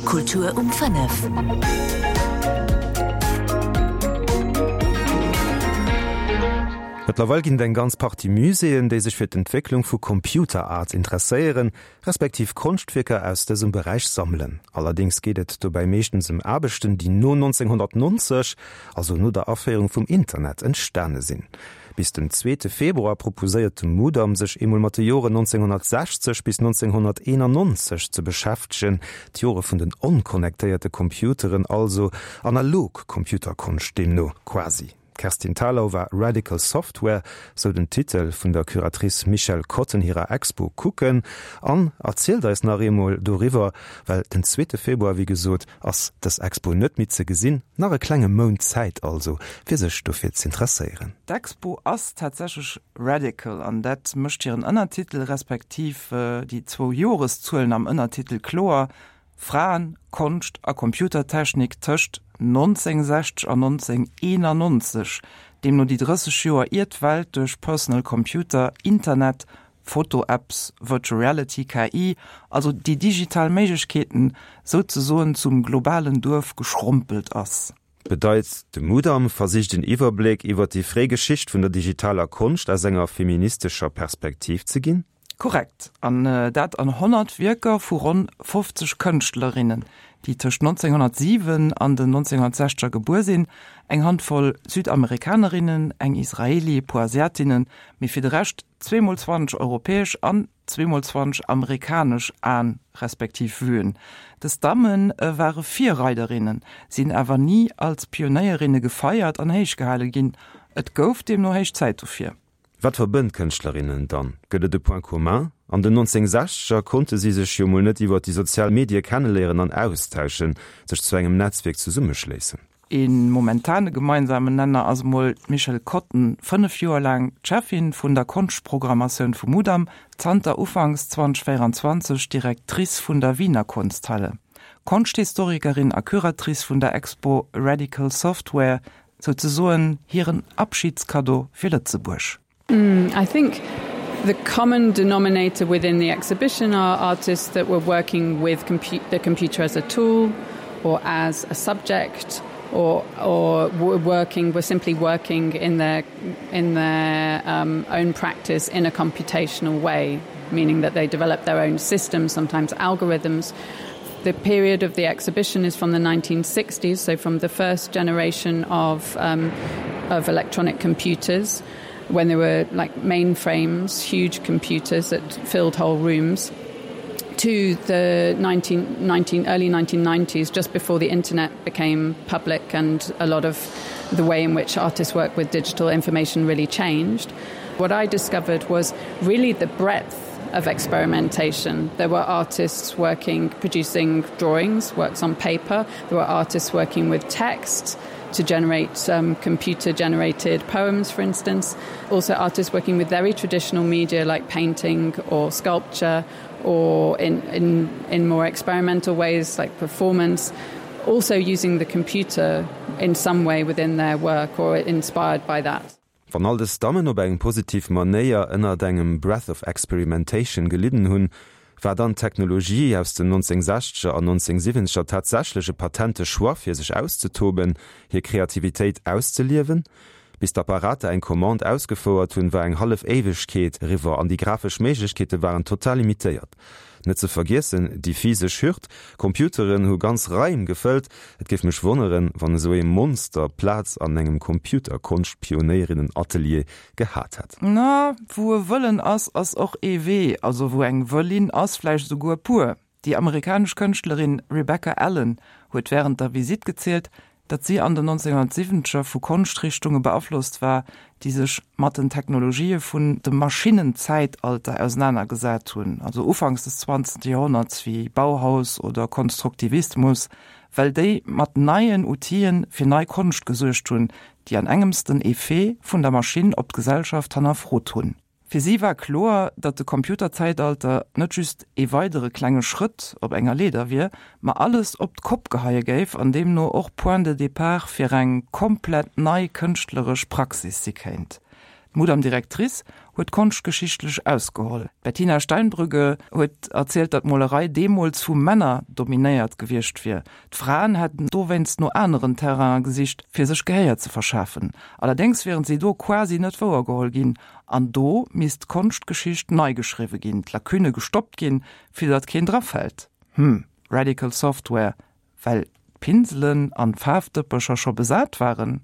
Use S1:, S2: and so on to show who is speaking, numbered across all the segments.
S1: Kultur um 5.
S2: Mëttlerweil ginn et eng ganz Partie Muséeën, déi sech fir d'Entwécklung vu Computer Art interesséieren, respektiv Konschtwierker aus dësem Beräich sammelen. Allerdéngs geet et dobäi meeschtens ëm Aarbechten, déi no 1990, also no der Aféierung vum Internet, entstane sinn. Bis den zweete Februar proposéiert de Mudam, sech eemol mat de Joren 1960 bis 1991 ze beschäftegen, d'Jore vun den onconnectéierte Computeren, also analog Computerkonscht deemno quasi. D'Kerstin Thalau war Radical Software, sou den Titel vun der Curatrice Michèle Cotten hirer Expo, kucken an erzielt eis nach eemol doriwwer, well den zweete Februar, wéi gesot, ass dës Expo net méi ze gesinn. Nach e klenge Mount Zäit also, fir sech dofir z'interesséieren.
S3: D'Expo ass tatsächlech radical an dat mécht hiren Ënnertitel, respektiv déi zwou Joreszuelen am Ënnertitel kloer, Fraen, Konscht a Computertechnik tëscht 1960 an 1991, deemno déi 30 Joer ier d'Welt duerch Personal Computer, Internet, Foto-Apps, Virtual Reality, KI, also déi digital Méiglechkeeten, souzesoen zum globalen Duerf geschrompelt ass.
S2: Bedeit, de Mudam versicht en Iwwerbléck iwwer déi fréi Geschicht vun der digitaler Konscht aus enger feministescher Perspektiv ze ginn.
S3: Korrekt, an dat an 100 Wierker vu ronn 50 Kënschtlerinnen, déi tëscht 1907 an den 1960er gebuer sinn, eng Handvoll Südamerikanerinnen, eng Israeli, e puer Asiatinnen, mee fir de Rescht zweemol 20 europäesch an zweemol 20 amerikanesch Aen respektiv Vuen. Dës Damme ware Virreiderinnen, sinn awer ni als Pionéierinne gefeiert an héichgehale ginn. Et gouf deemno héich Zäit dofir.
S2: Wat verbënnt d'Kënschtlerinnen dann? Gëtt et e Point commun? An den 1960er konnte si sech jo mol net iwwer déi sozial Medie kenneléieren an austauschen, sech zu engem Netzwierk zesummeschléissen.
S3: Ee momentane gemeinsamen Nenner ass emol d'Michèle Cotten, 5 Joer laang d'Cheffin vun der Konschtprogrammatioun vum Mudam, zanter ufanks 2024 Directrice vun der Wiener Kunsthalle, Konschthistorikerin a Curatrice vun der Expo Radical Software, souzesoen hiren Abschiedskaddo fir Lëtzebuerg.
S4: Mm, I think the common denominator within the exhibition are artists that were working with compu the computer as a tool or as a subject or or were working were simply working in their in their um, own practice in a computational way, meaning that they developed their own systems, sometimes algorithms. The period of the exhibition is from the 1960s, so from the first generation of, um, of electronic computers when there were like mainframes, huge computers that filled whole rooms to the 19, 19, early 1990s, just before the internet became public and a lot of the way in which artists work with digital information really changed. What I discovered was really the breadth of experimentation. There were artists working producing drawings, works on paper. There were artists working with text to generate um, computer generated poems, for instance. Also artists working with very traditional media like painting or sculpture or in, in, in more experimental ways like performance, also using the computer in some way within their work or inspired by that.
S2: Wann all dës Dammen op eng positiv Manéier ënnert engem Breath of Experimentation gelidden hunn, war dann d'Technologie aus den 1960er an 1970er tatsächlech e patente Choix fir sech auszetoben, hir Kreativitéit auszeliewen? Bis d'Apparater eng Commande ausgefouert hunn, war eng hallef Éiwegkeet eriwwer an déi grafesch Méiglechkeete waren total limitéiert. Net ze vergiessen déi physesch Hürd, Computeren hu ganz Raim gefëllt. Et géif mech wonneren, wann esou ee Monster Plaz an engem Computerkonscht-Pionéierinnen-Atelier gehat hätt.
S3: Na, wou e Wëllen ass, ass och ee Wee. Also wou eng Wëllin ass, vläicht esouguer e puer. Déi amerikanesch Kënschtlerin Rebecca Allen huet wärend der Visitt gezielt, datt si an den 1970er vu Konschtrichtunge beaflosst war, déi sech mat den Technologië vun dem Maschinnenzäitalter ausenanergesat hunn, also ufanks des 20. Joerhonnerts, wéi Bauhaus oder Konstruktivismus, well déi mat neien Outile fir nei Konscht gesuergt hunn, déi an engems den Effet vun der Maschinn op d'Gesellschaft hannerfrot hunn. Fir si war kloer, datt de Computerzäitalter net just ee weidere klenge Schrëtt op enger Leeder wier, ma alles op d'Kopp geheie géif an deemno och Point de départ fir eng komplett nei kënschtleresch Praxis si kéint. D'Mudam Directrice huet konschtgeschichtlech ausgeholl. D'Bettina Steinbrügge huet erzielt, datt d'Molerei deemools vu Männer dominéiert gewiescht wier. D'Fraen hätten dowéinst no aneren Terrainen gesicht, fir sech Gehéier ze verschafen. Allerdéngs wieren si do quasi net wouergeholl ginn. An do misst d'Konschtgeschicht nei geschriwwe ginn, d'Lacunne gestoppt ginn, fir datt keen drafält. Hm, Radical Software, well d'Pinselen an d'Faarfdëppercher scho besat waren?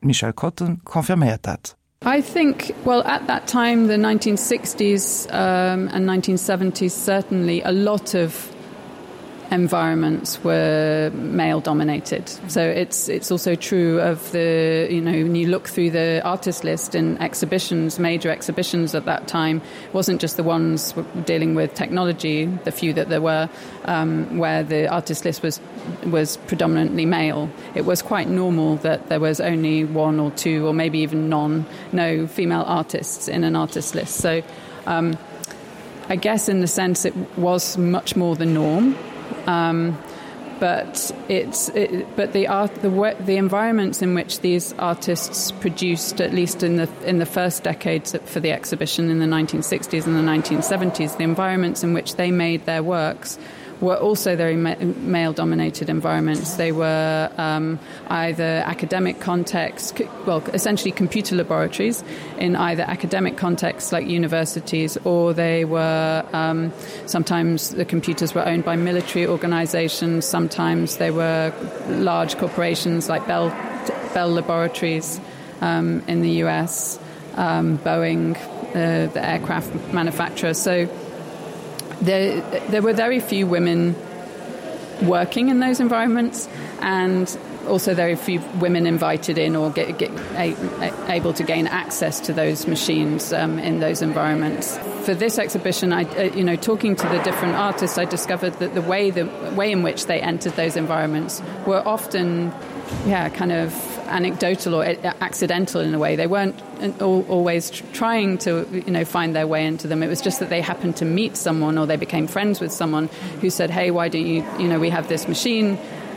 S3: D'Michèle Kotten confirméiert dat.
S4: I think well at that time the 1960s um, and 1970s certainly a lot of environments were male dominated so it's it's also true of the you know when you look through the artist list in exhibitions major exhibitions at that time wasn't just the ones dealing with technology the few that there were um, where the artist list was was predominantly male it was quite normal that there was only one or two or maybe even none no female artists in an artist list so um, I guess in the sense it was much more the norm um, but it's it, but the art the the environments in which these artists produced at least in the in the first decades for the exhibition in the 1960s and the 1970s the environments in which they made their works were also very ma male dominated environments they were um, either academic contexts well essentially computer laboratories in either academic contexts like universities or they were um, sometimes the computers were owned by military organizations sometimes they were large corporations like Bell Bell laboratories um, in the US um, Boeing uh, the aircraft manufacturer so there there were very few women working in those environments and also very few women invited in or get, get a, a, able to gain access to those machines um, in those environments. For this exhibition, I, uh, you know, talking to the different artists, I discovered that the way the way in which they entered those environments were often yeah, kind of anecdotal or uh, accidental in a way. They weren't always trying to you know, find their way into them. It was just that they happened to meet someone or they became friends with someone who said, "Hey, why don't you, you know, we have this machine,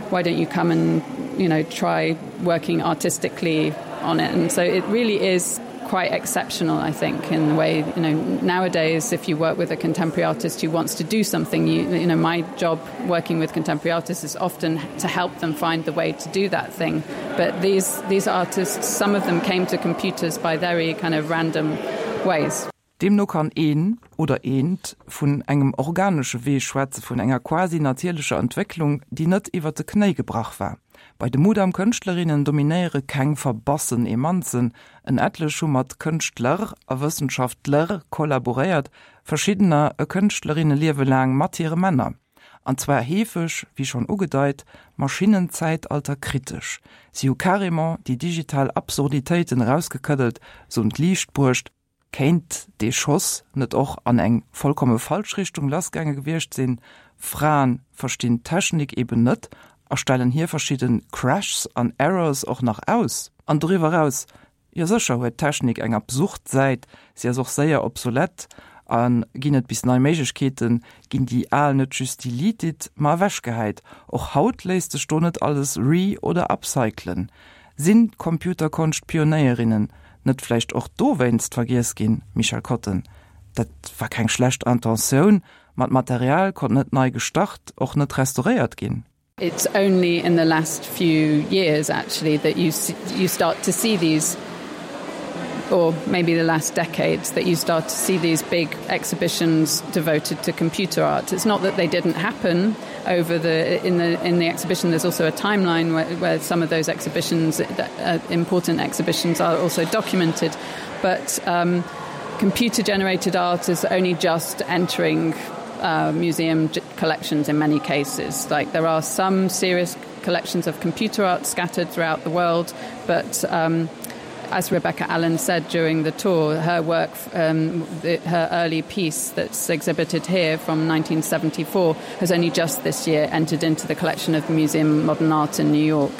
S4: why don't you come and you know, try working artistically on it?" And so it really is quite exceptional, I think, in the way you know nowadays if you work with a contemporary artist who wants to do something, you, you know my job working with contemporary artists is often to help them find the way to do that thing. But these, these artists, some of them came to computers by very kind of random ways.
S3: Deemno kann een, oder eent, vun engem organesche Wee schwätze vun enger quasi natierlecher Entwécklung, déi net iwwer de Knéi gebrach war. Bei de Mudam-Kënschtlerinnen dominéiere keng verbassen Emanzen, en etlech hu mat Kënschtler a Wëssenschaftler kollaboréiert, verschiddener e Kënschtlerinneliewe laang mat hire Männer. An zwar heefeg, wéi schonn ugedeit, maschinenzäitalterkritesch. Si hu carrément déi digital Absurditéiten erausgekëddelt, se un d'Liicht bruecht. Kéint dee Schoss net och an eng vollkomme falsch Richtung lassgaange gewiescht sinn? Fraen verstinn d'Technik eben net a stellen hir verschidde Crashs an Errors och nach aus. An doriwwer eraus, jo sécher huet d'Technik eng absurd Säit, si ass och séier obsolet a ginn et bis nei Méiglechkeeten, ginn déi al net just deleted, ma ewechgehäit. Och haut léisst sech do net alles re oder upcyclen. Sinn d'Computerkonscht-Pionéierinnen net vläicht och dowéinst vergiess ginn, Michel Kotten? Dat war keng schlecht Intentioun, ma d'Material konnt net nei gestart, och net restauréiert ginn.
S4: It's only in the last few years actually that you you start to see these or maybe the last decades that you start to see these big exhibitions devoted to computer art. It's not that they didn't happen over the in the in the exhibition there's also a timeline where, where some of those exhibitions uh, important exhibitions are also documented but um, computer generated art is only just entering uh, museum collections in many cases like there are some serious collections of computer art scattered throughout the world but um, as Rebecca Allen said during the tour, her work, um, the, her early piece that's exhibited here from 1974 has only just this year entered into the collection of the Museum of Modern Art in New York.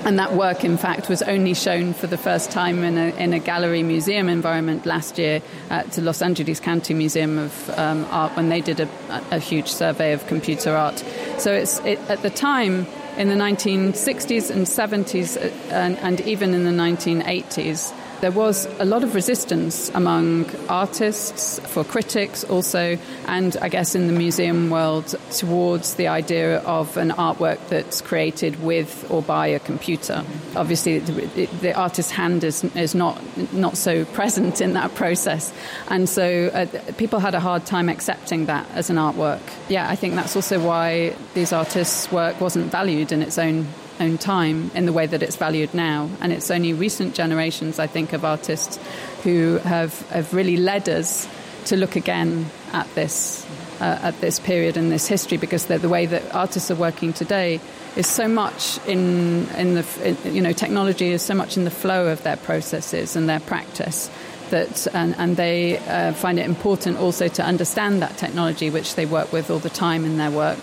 S4: And that work, in fact, was only shown for the first time in a, in a gallery museum environment last year at the Los Angeles County Museum of um, Art when they did a, a huge survey of computer art. So it's, it, at the time, in the 1960s and 70s uh, and, and even in the 1980s. there was a lot of resistance among artists, for critics also, and I guess in the museum world towards the idea of an artwork that's created with or by a computer. Obviously, the, the artist's hand is, is not, not so present in that process. And so uh, people had a hard time accepting that as an artwork. Yeah, I think that's also why these artists' work wasn't valued in its own own time in the way that it's valued now. And it's only recent generations, I think, of artists who have, have really led us to look again at this uh, at this period in this history because the, the way that artists are working today is so much in in the in, you know technology is so much in the flow of their processes and their practice that and, and they uh, find it important also to understand that technology which they work with all the time in their work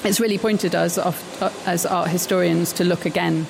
S4: it's really pointed us off, uh, as art historians to look again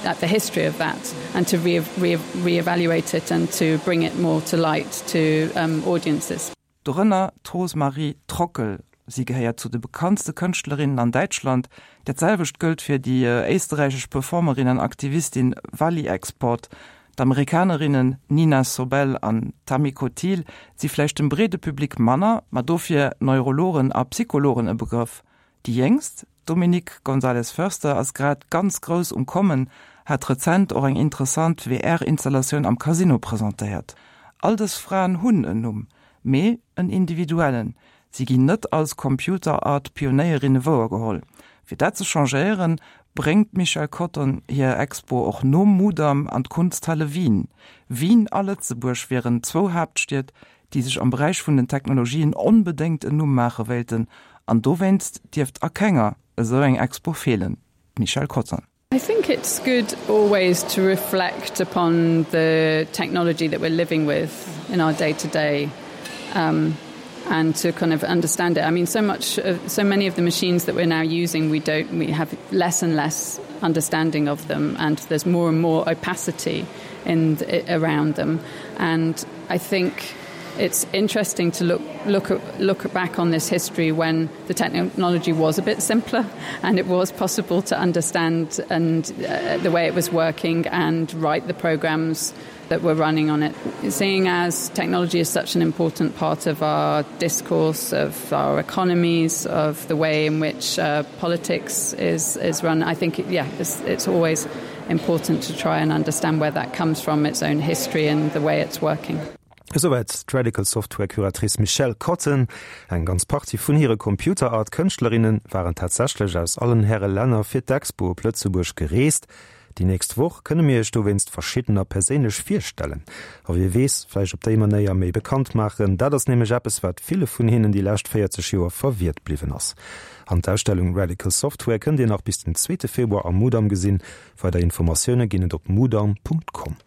S4: at the history of that and to re re reevaluate it and to bring it more to light to um, audiences.
S3: Dorënner d'Rosemarie Trockel. Si gehéiert zu de bekanntste Kënschtlerinnen an Däitschland. Dat selwecht gëllt fir déi éisterräichesch Performerin an Aktivistin Valie Export. D'Amerikanerinnen Nina Sobel an Tamiko Thiel si vläicht dem breede Public manner, ma dofir Neurologen a Psychologen e Begrëff. Déi jéngst, d'Dominique Gonzalez-Foerster, ass grad ganz grouss um Kommen, hat rezent och eng interessant VR-Installatioun am Casino presentéiert. All dës Fraen hunn en Numm, mee en individuellen, Si ginn net als Computer-Art-Pionéierinne wouergeholl. Fir dat ze changéieren, bréngt d'Michèle Cotton hir Expo och nom Mudam an d'Kunsthalle Wien. Wien a Lëtzebuerg wieren zwou Haaptstied, déi sech am Beräich vun den Technologien onbedéngt en Numm maache wéilten an dowéinst dierft a kenger esou eng Expo feelen. D'Michèle Cotton.
S4: I think it's good always to reflect upon the technology that we're living with in our day to day um, and to kind of understand it. I mean so much uh, so many of the machines that we're now using we don't we have less and less understanding of them and there's more and more opacity in around them and I think it's interesting to look look look back on this history when the technology was a bit simpler and it was possible to understand and uh, the way it was working and write the programs that were running on it. Seeing as technology is such an important part of our discourse of our economies, of the way in which uh, politics is, is run, I think yeah, it's, it's always important to try and understand where that comes from, its own history and the way it's working.
S2: Esouwäit d'Radical Software Curatrice Michelle Cotton. Eng ganz Partie vun hire Computer Art Kënschtlerinne waren tatsächlech aus allen Häre Länner fir d'Expo op Lëtzebuerg gereest. Déi nächst Woch kënne mir iech dowéinst verschiddener perséinlech virstellen a wie weess, vläicht op déi Manéier méi bekannt maachen. Dat ass nämlech eppes, wat ville vun hinnen déi lescht 40 Joer verwiert bliwwen ass. An d'Ausstellung Radical Software kënnt Dir nach bis den zweete Februar am Mudam gesinn. Weider Informatioune ginn et op mudam.com.